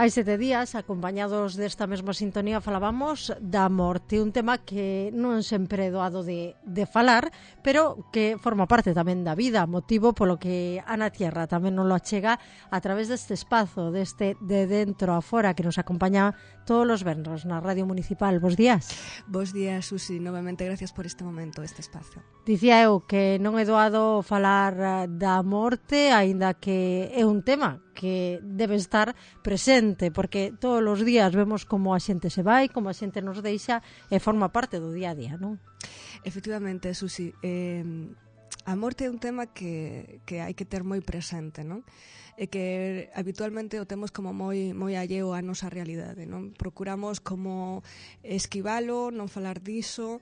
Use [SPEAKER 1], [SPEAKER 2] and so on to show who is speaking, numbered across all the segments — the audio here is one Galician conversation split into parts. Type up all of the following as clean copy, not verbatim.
[SPEAKER 1] Hai 7 días, acompañados desta mesma sintonía, falábamos da morte, un tema que non sempre é doado de falar, pero que forma parte tamén da vida, motivo polo que Ana Tierra tamén nos lo achega a través deste espazo, deste de dentro a fora, que nos acompaña todos os venres na Radio Municipal. Bos días.
[SPEAKER 2] Bos días, Susi, novamente gracias por este momento, este espazo.
[SPEAKER 1] Dicía eu que non é doado falar da morte, aínda que é un tema que debe estar presente, porque todos os días vemos como a xente se vai, como a xente nos deixa e forma parte do día a día, non?
[SPEAKER 2] Efectivamente, Susi, a morte é un tema que hai que ter moi presente, non? E que habitualmente o temos como moi alleo á nosa realidade, non? Procuramos como esquivalo, non falar diso,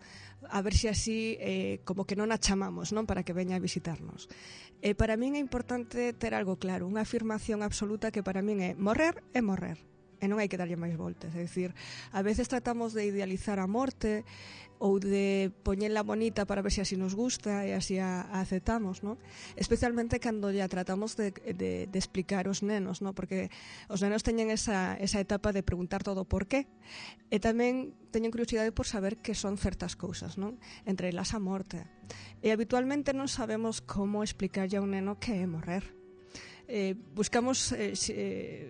[SPEAKER 2] a ver se así como que non a chamamos, non, para que veña a visitarnos. Para min é importante ter algo claro, unha afirmación absoluta que para min é morrer e morrer. E non hai que darlle máis voltas, é dicir, a veces tratamos de idealizar a morte ou de poñela bonita para ver se así nos gusta e así a aceptamos, non? Especialmente cando ya tratamos de explicar aos nenos, non? Porque os nenos teñen esa etapa de preguntar todo por qué, e tamén teñen curiosidade por saber que son certas cousas, non? Entre elas a morte. E habitualmente non sabemos como explicarlle a un neno que é morrer. Buscamos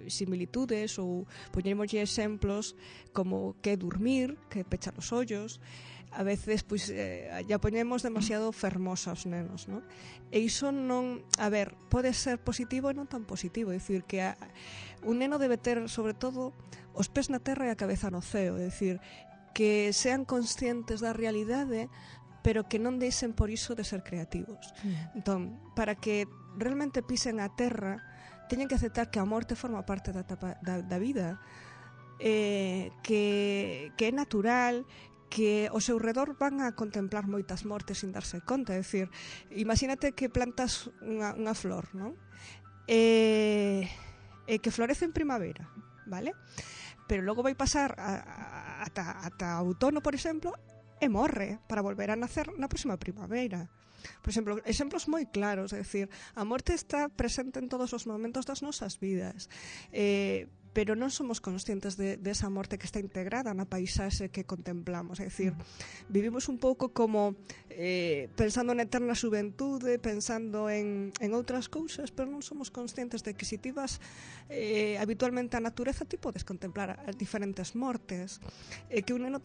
[SPEAKER 2] similitudes ou poñémoslle exemplos como que dormir, que pechar os ollos. A veces pois ya poñemos demasiado fermosa aos nenos, non? E iso non, a ver, pode ser positivo e non tan positivo, é dicir que un neno debe ter sobre todo os pés na terra e a cabeza no ceo, é dicir que sean conscientes da realidade, pero que non deixen por iso de ser creativos. Entón, para que realmente pisen a terra, teñen que aceptar que a morte forma parte da vida, que é natural, que ao seu redor van a contemplar moitas mortes sin darse conta. É dicir, imagínate que plantas unha flor, non? E que florece en primavera, vale? Pero logo vai pasar ata outono, por exemplo, e morre para volver a nacer na próxima primavera. Por exemplo, exemplos moi claros, é dicir, a morte está presente en todos os momentos das nosas vidas, pero non somos conscientes de esa morte que está integrada na paisaxe que contemplamos. É dicir, vivimos un pouco como pensando na eterna xuventude, pensando en outras cousas, pero non somos conscientes de que se ti vas habitualmente á natureza, ti podes contemplar as diferentes mortes, que un neno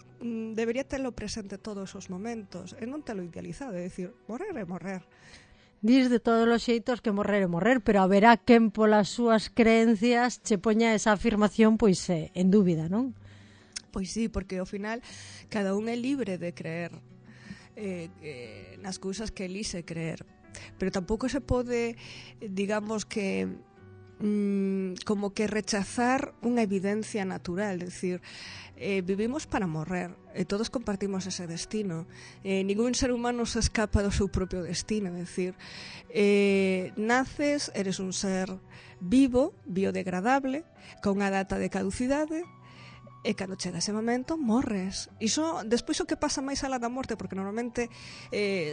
[SPEAKER 2] debería telo presente todos os momentos e non telo idealizado, é dicir, morrer é morrer.
[SPEAKER 1] Dis de todos os xeitos que morrer é morrer, pero haberá quen polas súas creencias che poña esa afirmación pois en dúbida, non?
[SPEAKER 2] Pois sí, porque ao final cada un é libre de creer nas cousas que elise creer, pero tampouco se pode, digamos que como que rechazar unha evidencia natural, é dicir, vivimos para morrer e todos compartimos ese destino, ningún ser humano se escapa do seu propio destino, é dicir, naces, eres un ser vivo, biodegradable, con unha data de caducidade, e cando chega ese momento morres. Iso, despois o que pasa máis alá da morte, porque normalmente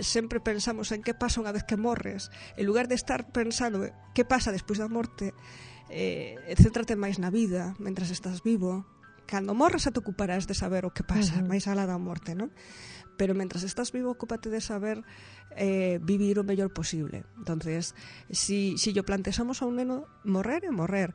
[SPEAKER 2] sempre pensamos en que pasa unha vez que morres, en lugar de estar pensando que pasa despois da morte, céntrate máis na vida mentras estás vivo. Cando morres te ocuparás de saber o que pasa máis alá da morte, non? Pero mentras estás vivo, ocúpate de saber vivir o mellor posible. Entonces, si yo plantexamos a un neno, morrer é morrer.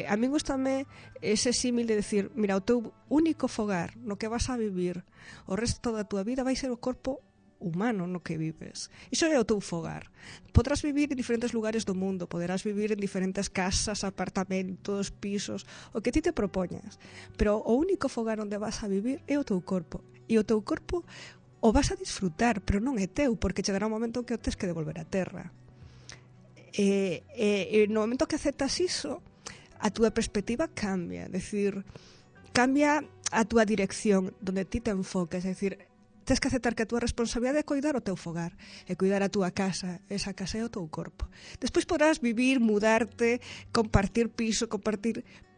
[SPEAKER 2] A mí gustame ese símil de decir, mira, o teu único fogar no que vas a vivir o resto da tua vida vai ser o corpo humano no que vives. Iso é o teu fogar. Podrás vivir en diferentes lugares do mundo, poderás vivir en diferentes casas, apartamentos, pisos, o que ti te propoñas, pero o único fogar onde vas a vivir é o teu corpo. E o teu corpo o vas a disfrutar, pero non é teu, porque chegará un momento que o tes que devolver á terra. E no momento que aceptas iso, a túa perspectiva cambia, é dicir, cambia a túa dirección, donde ti te enfocas, é dicir, tens que aceptar que a túa responsabilidade é cuidar o teu fogar, é cuidar a túa casa, esa casa é o teu corpo. Despois podrás vivir, mudarte, compartir piso,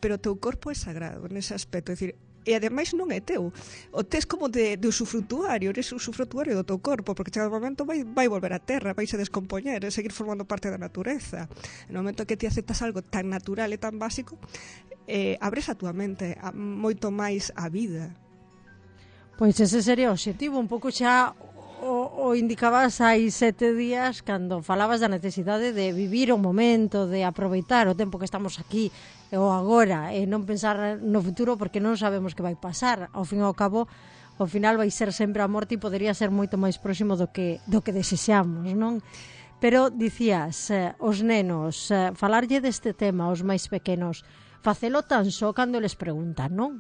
[SPEAKER 2] pero o teu corpo é sagrado nese aspecto, é dicir, e ademais non é teu. O tes como de usufrutuario, eres usufrutuario do teu corpo, porque chega o momento vai volver á terra, vai se descompoñer, e seguir formando parte da natureza. No momento que ti aceptas algo tan natural e tan básico, abres a túa mente moito máis a vida.
[SPEAKER 1] Pois ese sería o obxectivo, un pouco xa o indicabas hai 7 días cando falabas da necesidade de vivir o momento, de aproveitar o tempo que estamos aquí o agora e non pensar no futuro porque non sabemos que vai pasar. Ao fin e ao cabo, ao final vai ser sempre a morte e podería ser moito máis próximo do que desexamos, non? Pero dicías, os nenos, falarlle deste tema aos máis pequenos, facelo tan só cando les preguntan, non?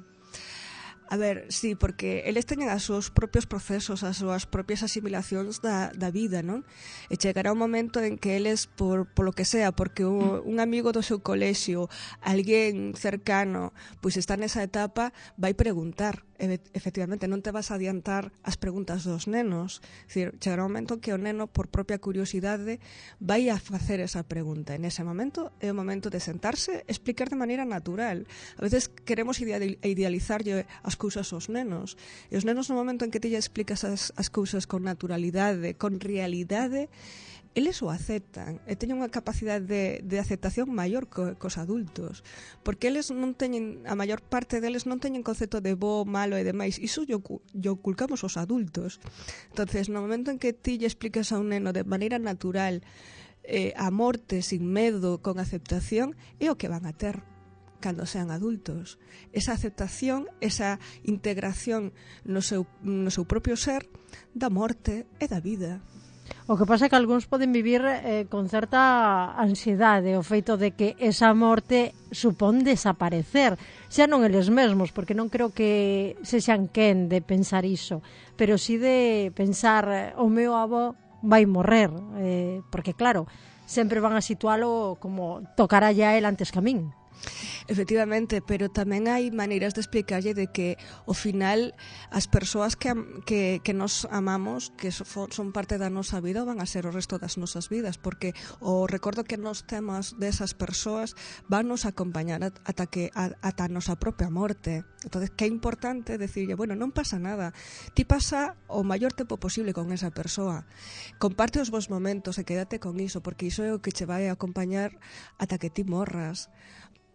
[SPEAKER 2] A ver, sí, porque eles teñen os seus propios procesos, as súas propias asimilacións da vida, non? E chegará un momento en que eles, por lo que sea, porque un amigo do seu colexio, alguén cercano, pois está nesa etapa, vai preguntar. Efectivamente, non te vas a adiantar as preguntas dos nenos. Dicir, chegará un momento que o neno, por propia curiosidade, vai a facer esa pregunta. En ese momento é o momento de sentarse e explicar de maneira natural. A veces queremos idealizarlle as cousas aos nenos. E os nenos, no momento en que ti lle explicas as cousas con naturalidade, con realidade, eles o aceptan e teñen unha capacidade de aceptación maior cos adultos, porque eles non teñen, a maior parte deles non teñen concepto de bo, malo e demais, iso lle oculcamos os adultos. Entonces, no momento en que ti lle explicas a un neno de maneira natural a morte sin medo, con aceptación, é o que van a ter cando sean adultos. Esa aceptación, esa integración no seu propio ser da morte e da vida.
[SPEAKER 1] O que pasa é que algúns poden vivir con certa ansiedade o feito de que esa morte supón desaparecer, xa non eles mesmos, porque non creo que sexan quen de pensar iso, pero sí de pensar o meu avó vai morrer, porque claro, sempre van a situalo como tocará ya el antes que a min.
[SPEAKER 2] Efectivamente, pero tamén hai maneiras de explicarlle de que ao final as persoas que nos amamos, que son parte da nosa vida, van a ser o resto das nosas vidas, porque o recordo que nos temos desas persoas van nos acompañar ata a nosa propia morte. Entonces, que é importante decirlle, bueno, non pasa nada, ti pasa o maior tempo posible con esa persoa, comparte os vos momentos e quédate con iso, porque iso é o que che vai a acompañar ata que ti morras.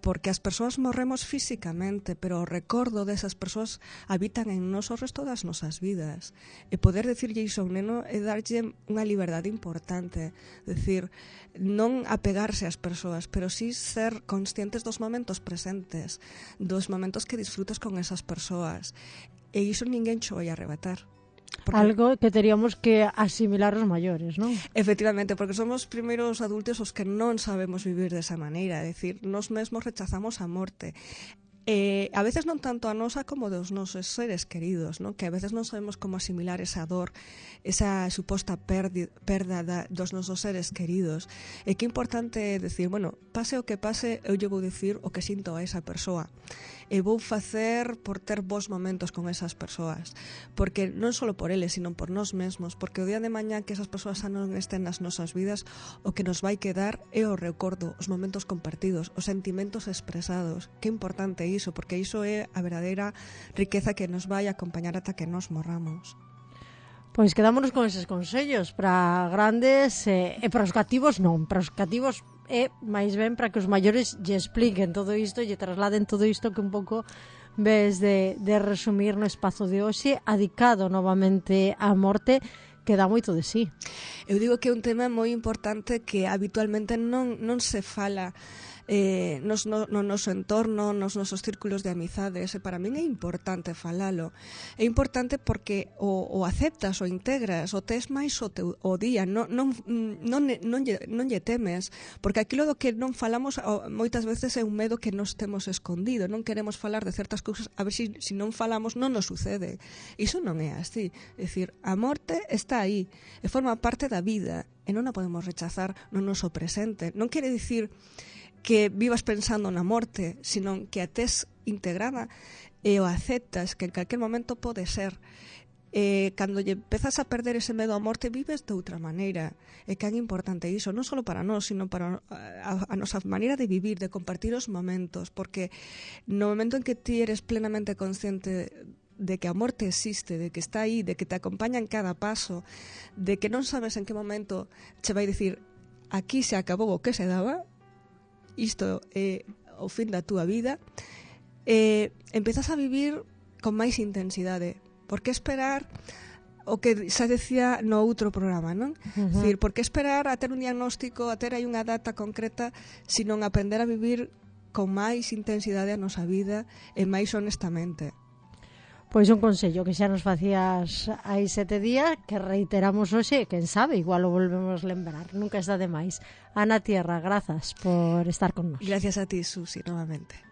[SPEAKER 2] Porque as persoas morremos físicamente, pero o recordo desas persoas habitan en nós o resto das nosas vidas. E poder decirlle iso a un neno é darlle unha liberdade importante. Decir, non apegarse ás persoas, pero sí ser conscientes dos momentos presentes, dos momentos que disfrutas con esas persoas. E iso ninguén xo vai arrebatar.
[SPEAKER 1] Porque algo que teríamos que asimilar os maiores, non?
[SPEAKER 2] Efectivamente, porque somos primeiros adultos os que non sabemos vivir desa maneira, é dicir, nós mesmos rechazamos a morte. A veces non tanto a nosa como dos nosos seres queridos, non? Que a veces non sabemos como asimilar esa dor, esa suposta perda dos nosos seres queridos. E que importante é decir, bueno, pase o que pase, eu lle vou dicir o que sinto a esa persoa. E vou facer por ter bons momentos con esas persoas, porque non só por eles, sino por nós mesmos, porque o día de mañá que esas persoas xa non estén nas nosas vidas, o que nos vai quedar é o recordo, os momentos compartidos, os sentimentos expresados. Que importante iso, porque iso é a verdadeira riqueza que nos vai acompañar ata que nos morramos.
[SPEAKER 1] Pois quedámonos con eses consellos para grandes e para os cativos non, para os cativos é máis ben para que os maiores lle expliquen todo isto e lle trasladen todo isto que un pouco ves de resumir no espazo de hoxe, adicado novamente á morte, que dá moito de sí.
[SPEAKER 2] Eu digo que é un tema moi importante que habitualmente non se fala no noso entorno, nos nosos círculos de amizades, e para min é importante falalo. É importante porque o aceptas, o integras, o tes máis o día, non lle temes, porque aquilo do que non falamos moitas veces é un medo que nos temos escondido, non queremos falar de certas cousas, a ver se non falamos non nos sucede. Iso non é así, é dicir, a morte está aí, e forma parte da vida, e non a podemos rechazar no noso presente. Non quere dicir que vivas pensando na morte, sino que a tes integrada e o aceptas, que en calquer momento pode ser. cando lle empezas a perder ese medo á morte, vives de outra maneira. É que é importante iso, non só para nós, sino para a nosa maneira de vivir, de compartir os momentos, porque no momento en que ti eres plenamente consciente de que a morte existe, de que está aí, de que te acompaña en cada paso, de que non sabes en que momento che vai dicir aquí se acabou o que se daba, isto é o fin da túa vida, empezas a vivir con máis intensidade. Por que esperar o que xa decía no outro programa, non? Decir, por que esperar a ter un diagnóstico, a ter aí unha data concreta, sino aprender a vivir con máis intensidade a nosa vida e máis honestamente.
[SPEAKER 1] Pois un consello que xa nos facías hai 7 días, que reiteramos hoxe, quen sabe, igual o volvemos lembrar, nunca está de máis. Ana Tierra, grazas por estar con nós.
[SPEAKER 2] Gracias a ti, Susi, novamente.